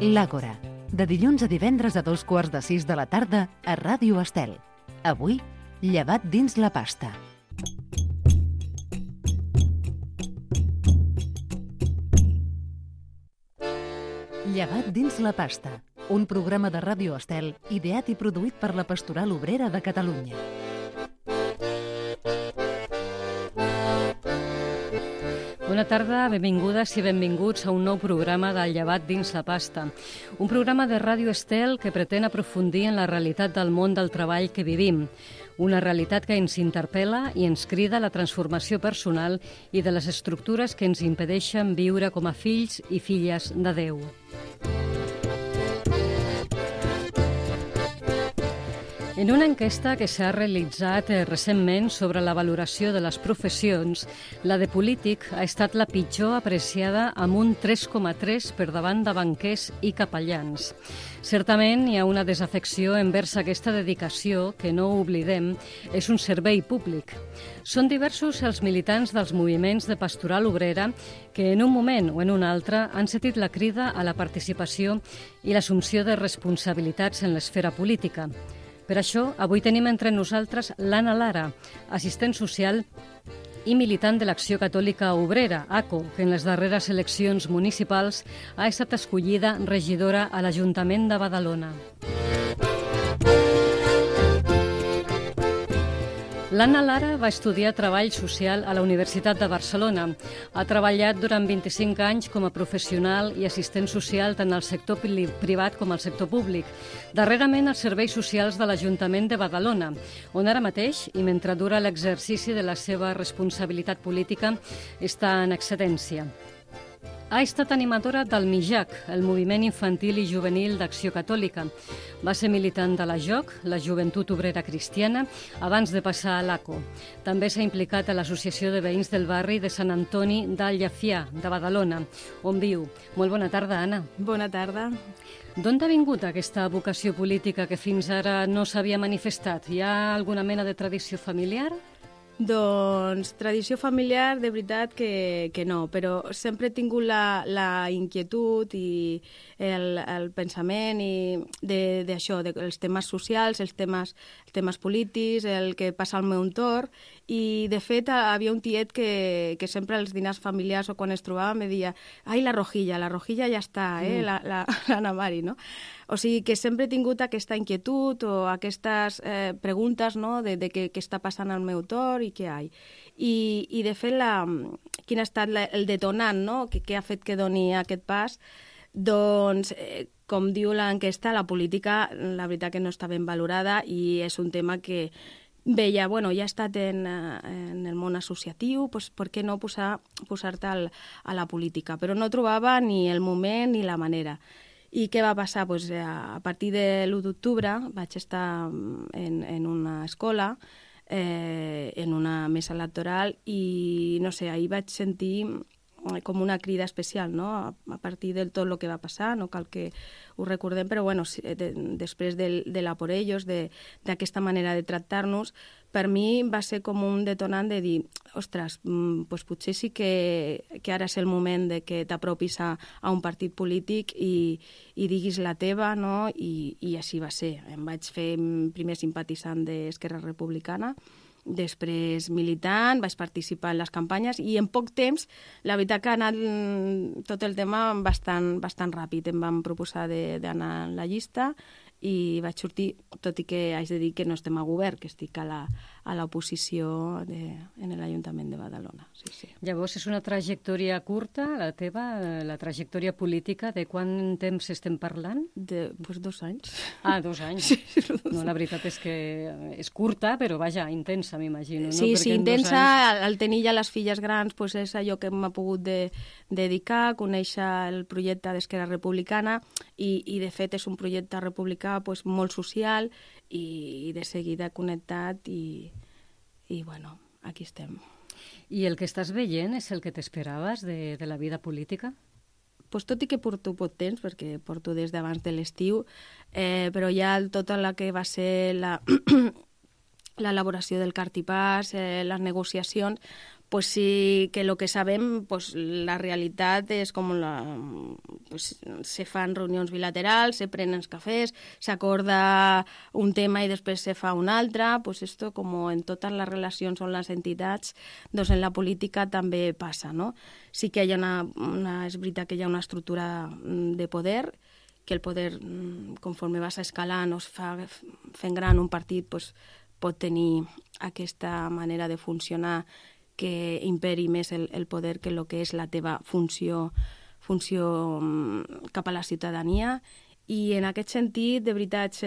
L'Àgora, de dilluns a divendres a 5:15 de la tarda a Ràdio Estel. Avui, llevat dins la pasta. Llevat dins la pasta, un programa de Ràdio Estel ideat i produït per la Pastoral Obrera de Catalunya. Bona tarda, benvingudes i benvinguts a un nou programa del Llevat dins la pasta. Un programa de Ràdio Estel que pretén aprofundir en la realitat del món del treball que vivim. Una realitat que ens interpel·la i ens crida a la transformació personal i de les estructures que ens impedeixen viure com a fills i filles de Déu. En una enquesta que s'ha realitzat recentment sobre la valoració de les professions, la de polític ha estat la pitjor apreciada amb un 3,3 per davant de banquers i capellans. Certament hi ha una desafecció envers aquesta dedicació que, no ho oblidem, és un servei públic. Són diversos els militants dels moviments de pastoral obrera que en un moment o en un altre han sentit la crida a la participació i l'assumpció de responsabilitats en l'esfera política. Per això, avui tenim entre nosaltres l'Anna Lara, assistent social i militant de l'Acció Catòlica Obrera, ACO, que en les darreres eleccions municipals ha estat escollida regidora a l'Ajuntament de Badalona. L'Anna Lara va estudiar Treball Social a la Universitat de Barcelona. Ha treballat durant 25 anys com a professional i assistent social tant al sector privat com al sector públic. Darrerament als serveis socials de l'Ajuntament de Badalona, on ara mateix, i mentre dura l'exercici de la seva responsabilitat política, està en excedència. Ha estat animadora del MIJAC, el Moviment Infantil i Juvenil d'Acció Catòlica. Va ser militant de la JOC, la Joventut Obrera Cristiana, abans de passar a l'ACO. També s'ha implicat a l'Associació de Veïns del Barri de Sant Antoni del Llefià, de Badalona, on viu. Molt bona tarda, Anna. Bona tarda. D'on ha vingut aquesta vocació política que fins ara no s'havia manifestat? Hi ha alguna mena de tradició familiar? Doncs tradició familiar, de veritat que no, però sempre he tingut la inquietud i el pensament d'això, dels temes socials, els temes polítics, el que passa al meu entorn, i de fet havia un tiet que sempre als dinars familiars o quan es trobava me deia «Ai, la rojilla ja està, l'Anna Mari», no? O sigui que sempre he tingut aquesta inquietud o aquestes preguntes, no?, de què està passant al meu entorn i què hi ha. I de fet, quin ha estat el detonant, no?, que ha fet que doni aquest pas, doncs, com diu l'enquesta, la política, la veritat que no està ben valorada i és un tema que veia, bueno, ja he estat en el món associatiu, doncs per què no posar-te a la política? Però no trobava ni el moment ni la manera. I què va passar? Pues, a partir de l'1 d'octubre vaig estar en una escola, en una mesa electoral, i no sé, ahir vaig sentir com una crida especial, no?, a partir de tot el que va passar, no cal que ho recordem, però bueno, després de la por ellos, d'aquesta manera de tractar-nos, per mi va ser com un detonant de dir, ostres, doncs potser sí que ara és el moment de que t'apropis a un partit polític i diguis la teva, no?, i així va ser. Em vaig fer primer simpatitzant d'Esquerra Republicana, després militant, vaig participar en les campanyes i en poc temps, la veritat que ha anat tot el tema bastant ràpid. Em van proposar d'anar a la llista i vaig sortir, tot i que haig de dir que no estem a govern, que estic a l'oposició en l'Ajuntament de Badalona. Sí. Llavors, és una trajectòria curta, la teva, la trajectòria política, de quant temps estem parlant? Doncs 2 anys. Ah, 2 anys. Sí. No, la veritat és que és curta, però vaja, intensa, m'imagino. Sí, no? sí, intensa. Anys... Al tenir ja les filles grans, doncs és allò que m'ha pogut dedicar, conèixer el projecte d'Esquerra Republicana i de fet és un projecte republicà pues, molt social i de seguida connectat i bueno, aquí estem. I el que estàs veient és el que t'esperaves de la vida política? Pues tot i que porto poc temps, perquè porto des d'abans de l'estiu, però ja tota la que va ser l'elaboració del cartipàs, les negociacions, pues sí que lo que sabem, pues la realitat és com pues, se fan reunions bilaterals, se prenen cafès, s'acorda un tema i després se fa un altre, pues esto com en totes les relacions on les entitats, doncs en la política també passa, no? Sí que hi ha és veritat que hi ha una estructura de poder, que el poder, conforme vas escalant o es fa fent gran un partit, pues, pot tenir aquesta manera de funcionar que imperi més el poder que el que és la teva funció cap a la ciutadania. I en aquest sentit, de veritat,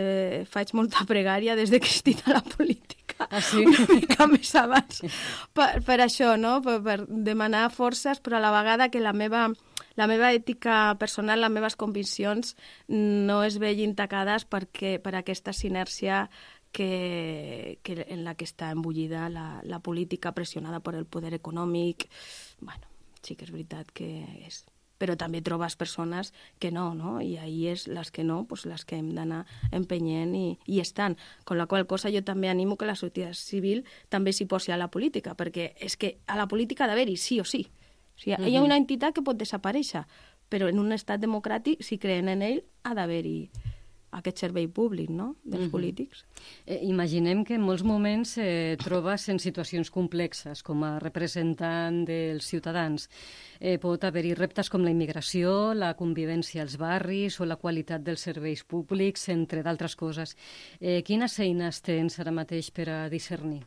faig molta pregària des que estic a la política. Ah, sí? Una mica més abans. Per això, no? Per demanar forces, però a la vegada que la meva ètica personal, les meves conviccions no es vegin tacades per aquesta sinèrcia en la que està embullida la política pressionada per el poder econòmic. Bueno, sí que és veritat que és. Però també trobes persones que no? I ahí és les que no, pues les que hem d'anar empenyent i estan. Con la qual cosa jo també animo que la societat civil també s'hi posi a la política, perquè és que a la política ha d'haver-hi sí o sí. O sigui, hi ha una entitat que pot desaparèixer, però en un estat democràtic, si creen en ell, ha d'haver-hi aquest servei públic, no?, dels polítics. Imaginem que en molts moments trobes en situacions complexes com a representant dels ciutadans. Pot haver-hi reptes com la immigració, la convivència als barris o la qualitat dels serveis públics, entre d'altres coses. Quines eines tens ara mateix per a discernir?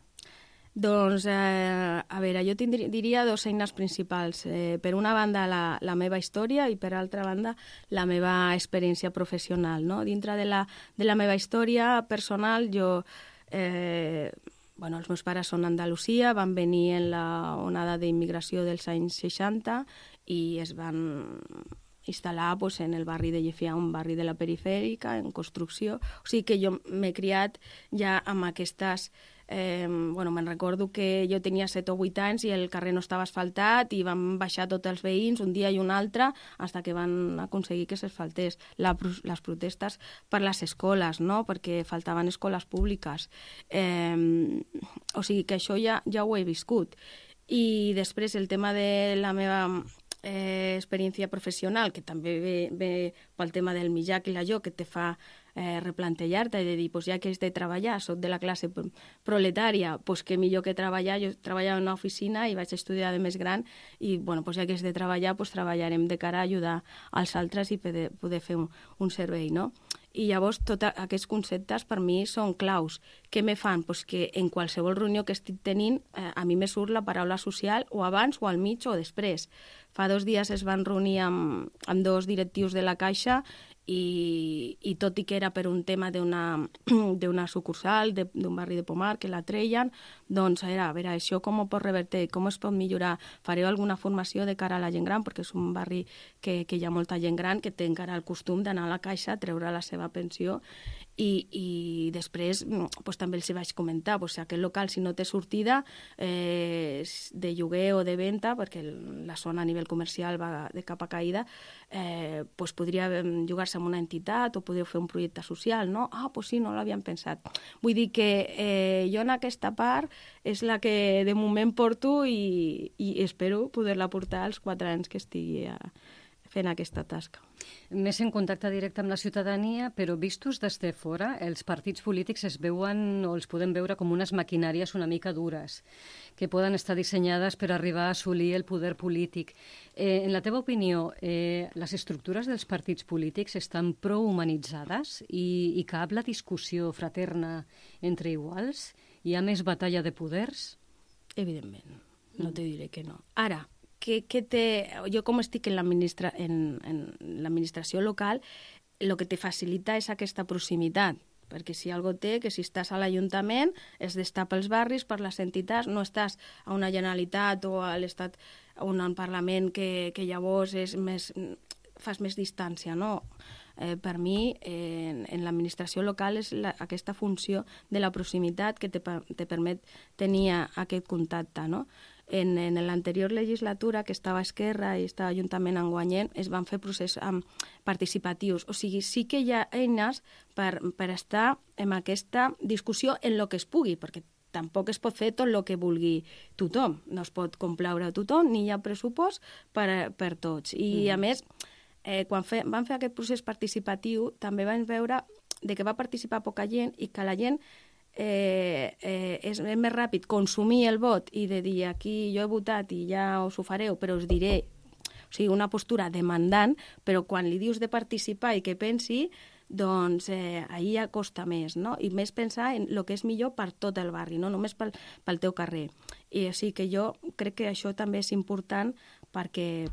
Doncs, a veure, jo diria dues eines principals. Per una banda, la meva història i per altra banda, la meva experiència professional, no? Dintre de la meva història personal, els meus pares són d'Andalusia, van venir en la onada d'immigració dels anys 60 i es van instal·lar en el barri de Llefià, un barri de la perifèrica, en construcció. O sigui que jo m'he criat ja amb aquestes... me'n recordo que jo tenia 7 o 8 anys i el carrer no estava asfaltat i van baixar tots els veïns un dia i un altre fins que van aconseguir que s'asfaltés. Les protestes per les escoles, no?, perquè faltaven escoles públiques. O sigui que això ja ho he viscut. I després el tema de la meva experiència professional, que també ve pel tema del mitjà i la jo, que te fa replantejar-te i de dir, ja que has de treballar, soc de la classe proletària, que millor que treballar. Jo treballava en una oficina i vaig estudiar de més gran i, ja que has de treballar, treballarem de cara a ajudar als altres i poder fer un servei, no? I llavors tots aquests conceptes per mi són claus. Què me fan? Que en qualsevol reunió que estic tenint a mi me surt la paraula social o abans o al mig o després. Fa 2 dies es van reunir amb 2 directius de la Caixa i tot i que era per un tema d'una sucursal d'un barri de Pomar que la treien, doncs era, a veure, això com ho pot revertir, com es pot millorar, fareu alguna formació de cara a la gent gran, perquè és un barri que hi ha molta gent gran que té encara el costum d'anar a la Caixa a treure la seva pensió i després també els vaig comentar, aquest local si no té sortida de lloguer o de venda, perquè la zona a nivell comercial va de capa caïda, podria llogar-se amb una entitat o podeu fer un projecte social, no? Sí, no l'havíem pensat. Vull dir que jo en aquesta part és la que de moment porto i espero poder-la portar als 4 anys que estigui fent aquesta tasca. Més en contacte directe amb la ciutadania, però vistos des de fora, els partits polítics es veuen o els podem veure com unes maquinàries una mica dures, que poden estar dissenyades per arribar a assolir el poder polític. En la teva opinió, les estructures dels partits polítics estan prou humanitzades i cap la discussió fraterna entre iguals? Hi ha més batalla de poders? Evidentment, no te diré que no. Ara, jo com estic en l'administració local, el que te facilita és aquesta proximitat, perquè si algo té, que si estàs a l'Ajuntament és d'estar pels barris, per les entitats, no estàs a una Generalitat o a l'Estat o a un Parlament que llavors fas més distància, no? Per mi, en l'administració local és aquesta funció de la proximitat que te permet tenir aquest contacte, no? En l'anterior legislatura, que estava a Esquerra i estava juntament amb Guanyent, es van fer processos participatius. O sigui, sí que hi ha eines per estar en aquesta discussió en el que es pugui, perquè tampoc es pot fer tot el que vulgui tothom. No es pot complaure a tothom, ni hi ha pressupost per tots. I, a més, quan van fer aquest procés participatiu, també vam veure que va participar poca gent i que la gent és més ràpid consumir el vot i de dir aquí jo he votat i ja us ho fareu, però us diré, o sigui, una postura demandant, però quan li dius de participar i que pensi, doncs ahir ja costa més, no? I més pensar en el que és millor per tot el barri, no només pel teu carrer. I sí que jo crec que això també és important perquè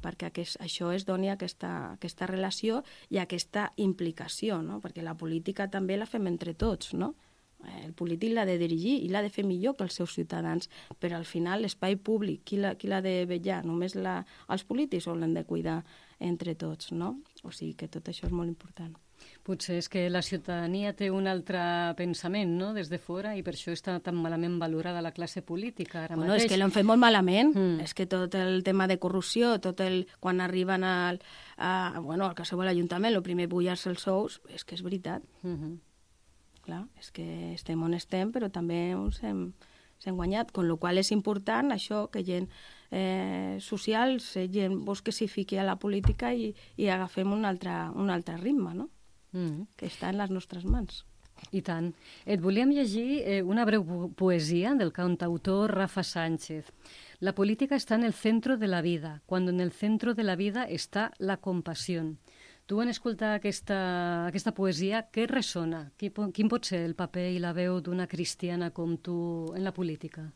això es doni aquesta relació i aquesta implicació, no? Perquè la política també la fem entre tots, no? El polític l'ha de dirigir i l'ha de fer millor que els seus ciutadans, però al final l'espai públic, qui l'ha de vetllar? Només els polítics o l'han de cuidar entre tots, no? O sigui que tot això és molt important. Potser és que la ciutadania té un altre pensament, no?, des de fora, i per això està tan malament valorada la classe política ara mateix. És que l'han fet molt malament. És que tot el tema de corrupció, quan arriben al qualsevol ajuntament, el primer bullar-se els sous, és que és veritat. Clar, és que estem on estem, però també ens hem guanyat, con lo qual és important això, que gent social, gent que s'hi fiqui a la política i agafem un altre ritme, no? Que està en les nostres mans. I tant. Et volíem llegir una breu poesia del cantautor Rafa Sánchez. La política está en el centro de la vida, cuando en el centro de la vida está la compasión. Tu, en escoltar aquesta poesia, què ressona? Quin pot ser el paper i la veu d'una cristiana com tu en la política?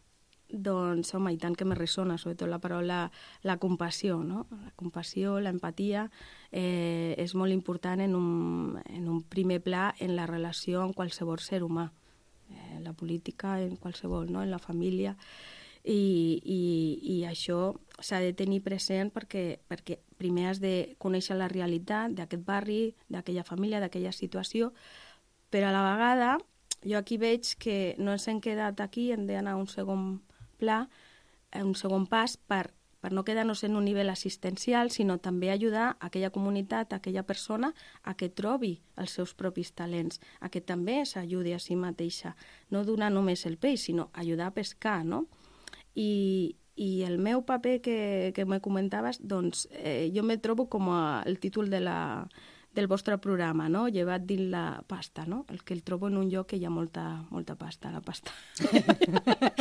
Doncs, home, i tant que me ressona, sobretot la paraula, la compassió, no? La compassió, l'empatia, és molt important en un primer pla en la relació amb qualsevol ser humà. La política, en qualsevol, no? En la família. I això s'ha de tenir present perquè primer has de conèixer la realitat d'aquest barri, d'aquella família, d'aquella situació, però a la vegada jo aquí veig que no ens hem quedat aquí, hem d'anar a un segon pla, un segon pas per no quedar-nos en un nivell assistencial, sinó també ajudar aquella comunitat, aquella persona, a que trobi els seus propis talents, a que també s'ajudi a si mateixa. No donar només el peix, sinó ajudar a pescar, no? I el meu paper que me comentaves, doncs jo me trobo com el títol del vostre programa, no? Llevat dins la pasta, no? El que el trobo en un lloc que hi ha molta pasta, la pasta.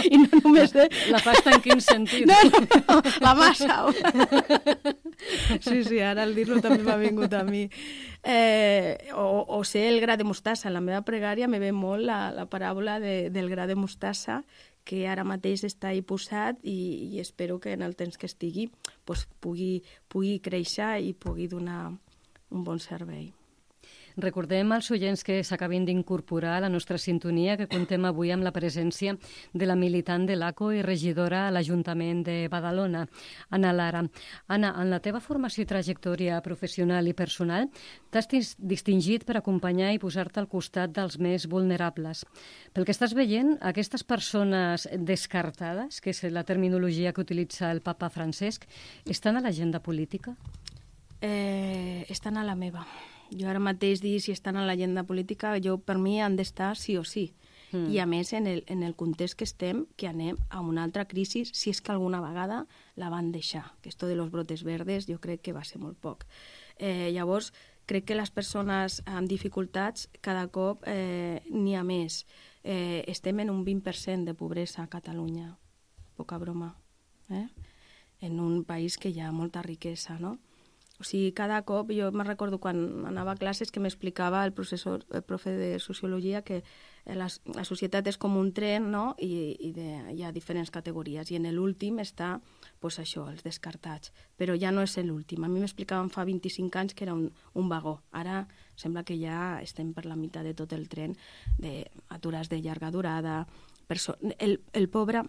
I no només La pasta en quin sentit? No, la massa. Sí, ara al dir-lo també m'ha vingut a mi. O ser el gra de mostassa. En la meva pregària me ve molt la paràbola del gra de mostassa, que ara mateix està ahí posat i espero que en el temps que estigui pugui créixer i pugui donar un bon servei. Recordem als oients que s'acabin d'incorporar a la nostra sintonia que contem avui amb la presència de la militant de l'ACO i regidora a l'Ajuntament de Badalona, Anna Lara. Anna, en la teva formació i trajectòria professional i personal t'has distingit per acompanyar i posar-te al costat dels més vulnerables. Pel que estàs veient, aquestes persones descartades, que és la terminologia que utilitza el papa Francesc, estan a l'agenda política? Estan a la meva. Jo ara mateix dir si estan a l'agenda política, per mi han d'estar sí o sí. I a més, en el context que estem, que anem a una altra crisi, si és que alguna vegada la van deixar. Que esto de los brotes verdes jo crec que va ser molt poc. Llavors, crec que les persones amb dificultats cada cop n'hi ha més. Estem en un 20% de pobresa a Catalunya. Poca broma. En un país que hi ha molta riquesa, no? O sigui, cada cop, jo me'n recordo quan anava a classes que m'explicava el profe de Sociologia que la societat és com un tren, no? I hi ha diferents categories. I en l'últim està, doncs això, els descartats. Però ja no és l'últim. A mi m'explicaven fa 25 anys que era un vagó. Ara sembla que ja estem per la meitat de tot el tren d'aturats de llarga durada, el pobre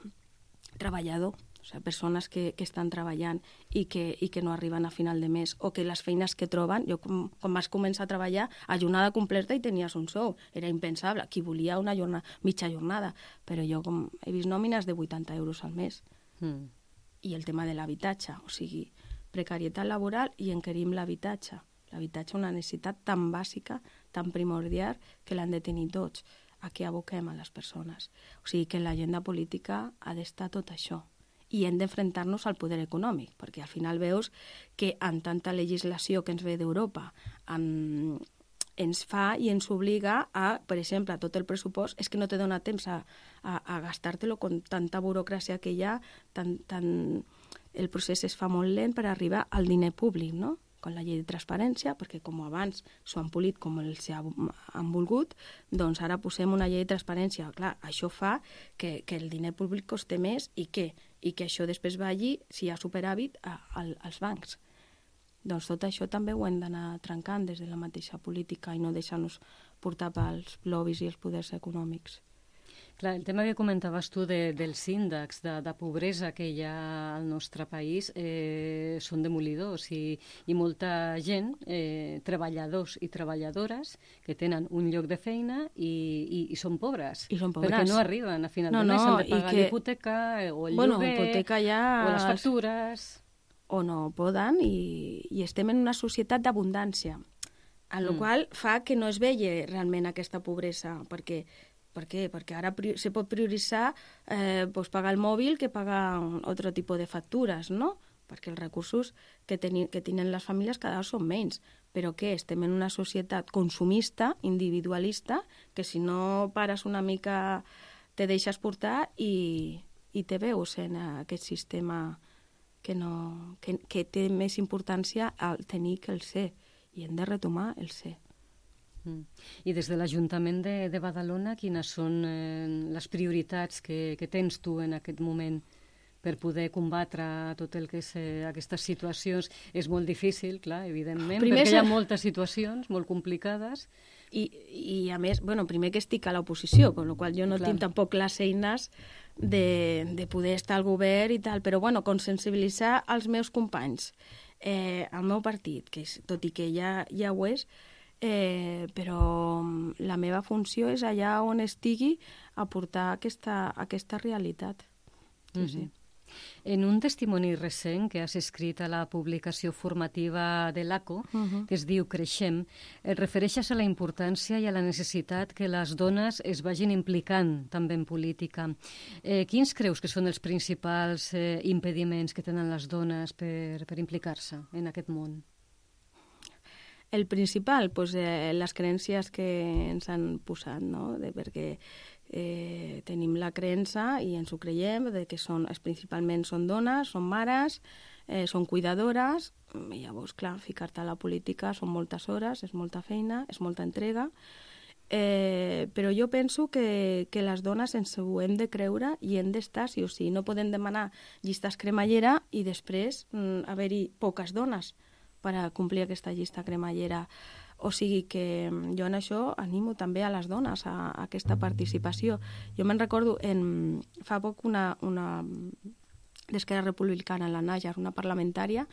treballador, o sigui, persones que estan treballant i que no arriben a final de mes, o que les feines que troben, jo quan vas començar a treballar a jornada completa i tenies un sou, era impensable, qui volia una mitja jornada, però jo he vist nòmines de 80 euros al mes. I el tema de l'habitatge, o sigui, precarietat laboral i encarim l'habitatge. L'habitatge és una necessitat tan bàsica, tan primordial, que l'han de tenir tots. a què aboquem a les persones. O sigui que l'agenda política ha d'estar tot això. I hem d'enfrontar-nos al poder econòmic, perquè al final veus que amb tanta legislació que ens ve d'Europa ens fa i ens obliga a, per exemple, a tot el pressupost, és que no te dona temps a gastar-te-lo con tanta burocràcia que hi ha, el procés es fa molt lent per arribar al diner públic, no? Con la llei de transparència, perquè com abans s'ho han polit com els han volgut, doncs ara posem una llei de transparència. Clar, això fa que el diner públic costi més i que això després vagi, si hi ha superàvit, als bancs. Doncs tot això també ho hem d'anar trencant des de la mateixa política i no deixar-nos portar pels lobbies i els poders econòmics. Clar, el tema que comentaves tu dels índexs de pobresa que hi ha al nostre país són demolidors i molta gent, treballadors i treballadores, que tenen un lloc de feina i són pobres. I són pobres. Perquè no arriben a final de mes, han de pagar l'hipoteca o el lloguer o les factures. O no poden i estem en una societat d'abundància, a la qual fa que no es vegi realment aquesta pobresa. Per què? Perquè ara se pot prioritzar pagar el mòbil que pagar altre tipus de factures, no? Perquè els recursos que tenen les famílies cada vegada són menys. Però què? Estem en una societat consumista, individualista, que si no pares una mica te deixes portar i te veus en aquest sistema que té més importància al tenir que el ser, i hem de retomar el ser. I des de l'Ajuntament de Badalona, quines són les prioritats que tens tu en aquest moment per poder combatre tot el que és aquestes situacions? És molt difícil, clar, evidentment, perquè hi ha moltes situacions molt complicades. I a més, primer que estic a l'oposició, amb la qual jo no tinc tampoc les eines de poder estar al govern i tal, però consensibilitzar els meus companys, el meu partit, que tot i que ja ho és, però la meva funció és allà on estigui aportar aquesta realitat. Sí. En un testimoni recent que has escrit a la publicació formativa de l'ACO, que es diu Creixem, et refereixes a la importància i a la necessitat que les dones es vagin implicant també en política. Quins creus que són els principals impediments que tenen les dones per implicar-se en aquest món? El principal, les creences que ens han posat, no? Perquè tenim la creença i ens ho creiem que principalment són dones, són mares, són cuidadores, i llavors, clar, ficar-te a la política són moltes hores, és molta feina, és molta entrega, però jo penso que les dones ens ho hem de creure i hem d'estar, sí o sí. No podem demanar llistes cremallera i després haver-hi poques dones per a complir aquesta llista cremallera. O sigui que jo en això animo també a les dones a aquesta participació. Jo me'n recordo fa poc una d'Esquerra Republicana, la Nájar, una parlamentària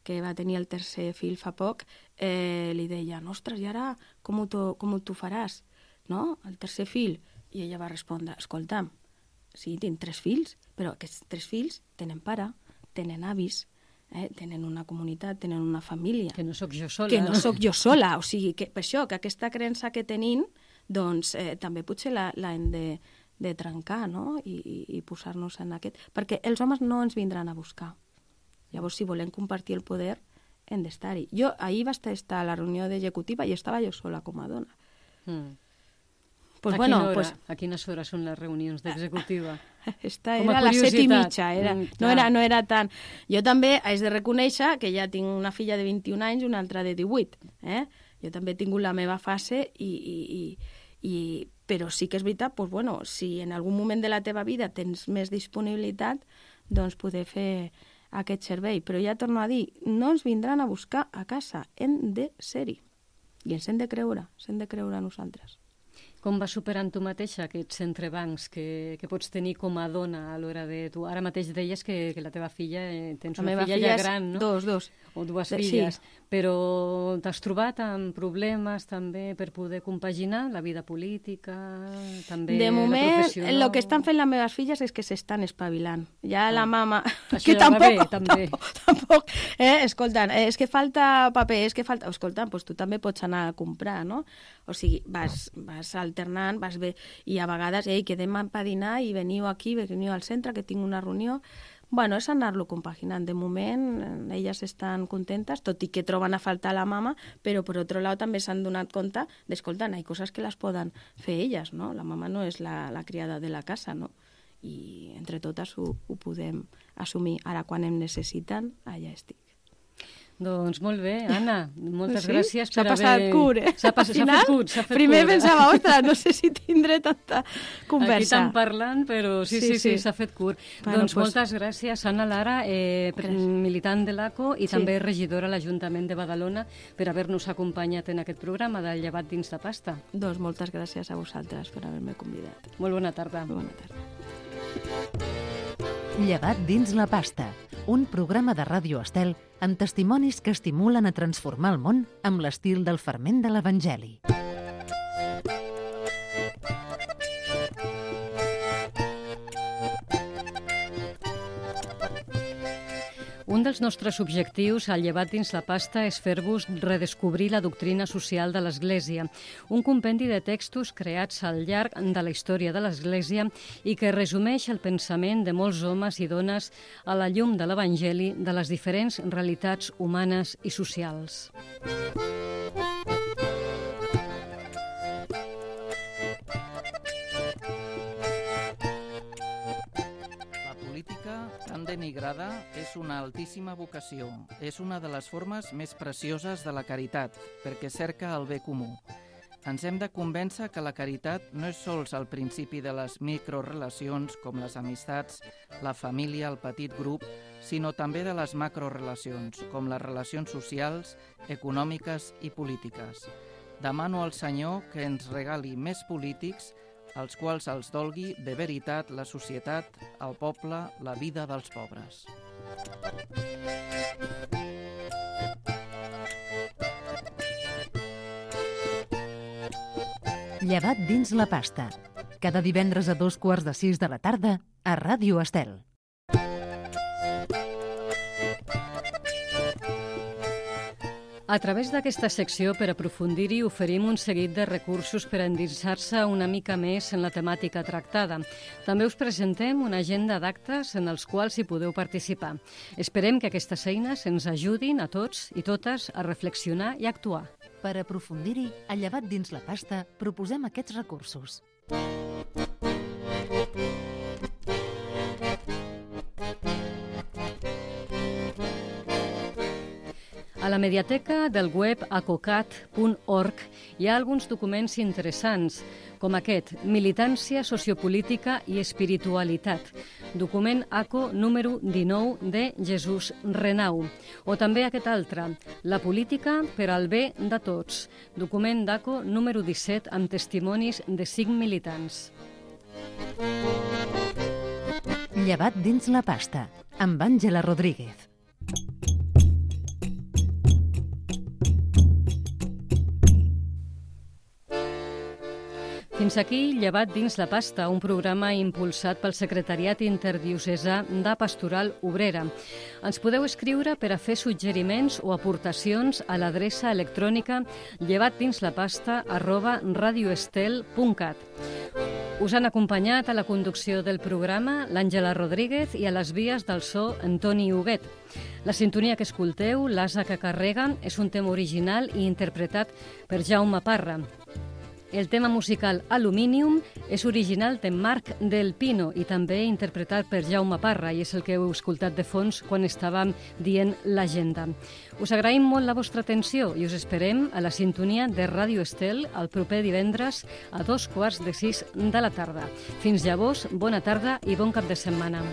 que va tenir el tercer fill fa poc, li deia, ostres, i ara com t'ho faràs, no? El tercer fill. I ella va respondre, escolta'm, sí, tinc 3 fills, però aquests 3 fills tenen pare, tenen avis, tenen una comunitat, tenen una família. Que no sóc jo sola. Que no sóc jo sola. O sigui, que per això, que aquesta creença que tenim, doncs també potser l'hem de trencar, no? I posar-nos en aquest... Perquè els homes no ens vindran a buscar. Llavors, si volem compartir el poder, hem d'estar-hi. Jo ahir vaig estar a la reunió d'executiva i estava jo sola com a dona. A quines hores són les reunions d'executiva? Era a les 7:30, no era tant. Jo també haig de reconèixer que ja tinc una filla de 21 anys i una altra de 18. Jo també he tingut la meva fase, però sí que és veritat, si en algun moment de la teva vida tens més disponibilitat, doncs poder fer aquest servei. Però ja torno a dir, no ens vindran a buscar a casa, hem de ser-hi. I ens hem de creure a nosaltres. Com vas superant tu mateixa aquests entrebancs que pots tenir com a dona a l'hora de... Tu ara mateix deies que la teva filla, tens una filla ja gran, no? Dos. O 2 filles. Sí. Però t'has trobat amb problemes també per poder compaginar la vida política, també de moment, la professional? El que estan fent les meves filles és que s'estan espavilant. Ja la mama... Això que ja va bé, també. Escoltant, és que falta paper, és que falta... Escoltant, doncs tu també pots anar a comprar, no? O sigui, vas alternant, vas bé, i a vegades, quedem per dinar i veniu aquí, veniu al centre, que tinc una reunió. Bueno, és anar-lo compaginant. De moment, elles estan contentes, tot i que troben a faltar la mama, però per altre lado també s'han donat compte d'escolta, hi ha coses que les poden fer elles, no? La mama no és la criada de la casa, no? I entre totes ho podem assumir. Ara, quan em necessiten, allà estic. Doncs molt bé, Anna, moltes gràcies per haver... haver... S'ha passat curt, S'ha fet curt. Primer pensava, ostres, no sé si tindré tanta conversa. Aquí estan parlant, però sí, s'ha fet curt. Bueno, doncs moltes gràcies, Anna Lara, militant de l'ACO i també regidora a l'Ajuntament de Badalona, per haver-nos acompanyat en aquest programa del Llevat dins la pasta. Doncs moltes gràcies a vosaltres per haver-me convidat. Molt bona tarda. Molt bona tarda. Llevat dins la pasta, un programa de Ràdio Estel amb testimonis que estimulen a transformar el món amb l'estil del ferment de l'Evangeli. Un dels nostres objectius al Llevat dins la pasta és fer-vos redescobrir la doctrina social de l'Església, un compendi de textos creats al llarg de la història de l'Església i que resumeix el pensament de molts homes i dones a la llum de l'Evangeli de les diferents realitats humanes i socials. Tan denigrada és una altíssima vocació. És una de les formes més precioses de la caritat, perquè cerca el bé comú. Ens hem de convèncer que la caritat no és sols el principi de les microrelacions com les amistats, la família, el petit grup, sinó també de les macrorelacions, com les relacions socials, econòmiques i polítiques. Demano al Senyor que ens regali més polítics als quals els dolgui de veritat la societat, el poble, la vida dels pobres. Llevat dins la pasta. Cada divendres a 5:45 de la tarda a Ràdio Estel. A través d'aquesta secció, per aprofundir-hi, oferim un seguit de recursos per endinsar-se una mica més en la temàtica tractada. També us presentem una agenda d'actes en els quals hi podeu participar. Esperem que aquestes eines ens ajudin a tots i totes a reflexionar i actuar. Per aprofundir-hi, a Llevat dins la pasta, proposem aquests recursos. A la mediateca del web acocat.org hi ha alguns documents interessants, com aquest, Militància sociopolítica i espiritualitat, document ACO número 19 de Jesús Renau, o també aquest altre, La política per al bé de tots, document d'ACO número 17 amb testimonis de 5 militants. Llevat dins la pasta, amb Àngela Rodríguez. Fins aquí, Llevat dins la pasta, un programa impulsat pel Secretariat Interdiocesà de Pastoral Obrera. Ens podeu escriure per a fer suggeriments o aportacions a l'adreça electrònica llevatdinsLaPasta@radioestel.cat. Us han acompanyat a la conducció del programa l'Àngela Rodríguez i a les vies del so Antoni Huguet. La sintonia que escolteu, l'Asa que carrega, és un tema original i interpretat per Jaume Parra. El tema musical Aluminium és original de Marc Del Pino i també interpretat per Jaume Parra, i és el que heu escoltat de fons quan estàvem dient l'agenda. Us agraïm molt la vostra atenció i us esperem a la sintonia de Ràdio Estel el proper divendres a 5:45 de la tarda. Fins llavors, bona tarda i bon cap de setmana.